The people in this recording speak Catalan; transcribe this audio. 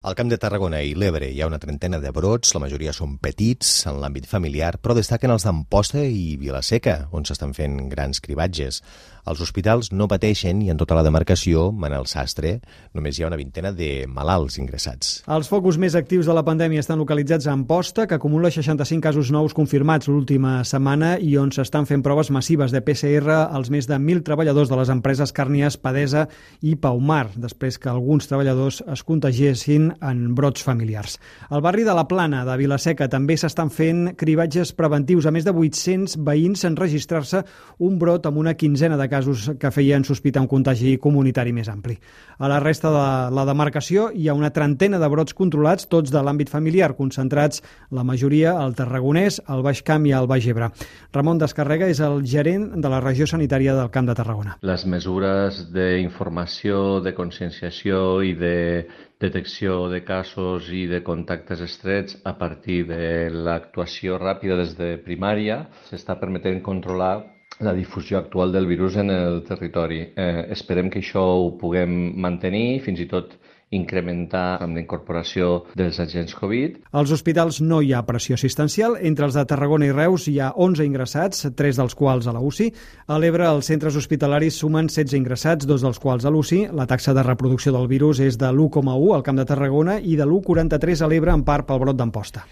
Al Camp de Tarragona i l'Ebre hi ha una trentena de brots, la majoria són petits en l'àmbit familiar, però destaquen els d'Amposta i Vila-seca, on s'estan fent grans cribatges. Els hospitals no pateixen i en tota la demarcació, Manel Sastre, només hi ha una vintena de malalts ingressats. Els focus més actius de la pandèmia estan localitzats a Amposta, que acumula 65 casos nous confirmats l'última setmana i on s'estan fent proves massives de PCR als més de 1.000 treballadors de les empreses Càrnies, Padesa i Paumar, després que alguns treballadors es contagiessin en brots familiars. Al barri de la Plana de Vila-seca també s'estan fent cribatges preventius. A més de 800 veïns en registrar-se un brot amb una quinzena de casos que feien sospitar un contagi comunitari més ampli. A la resta de la demarcació hi ha una trentena de brots controlats, tots de l'àmbit familiar, concentrats la majoria al Tarragonès, al Baix Camp i al Baix Ebre. Ramon Descarrega és el gerent de la regió sanitària del Camp de Tarragona. Les mesures d'informació, de conscienciació i de detecció de casos i de contactes estrets a partir de l'actuació ràpida des de primària s'està permetent controlar la difusió actual del virus en el territori. Esperem que això ho puguem mantenir, fins i tot incrementar amb la incorporació dels agents Covid. Als hospitals no hi ha pressió assistencial. Entre els de Tarragona i Reus hi ha 11 ingressats, 3 dels quals a la UCI. A l'Ebre, els centres hospitalaris sumen 16 ingressats, 2 dels quals a l'UCI. La taxa de reproducció del virus és de l'1,1 al Camp de Tarragona i de l'1,43 a l'Ebre, en part pel brot d'Amposta.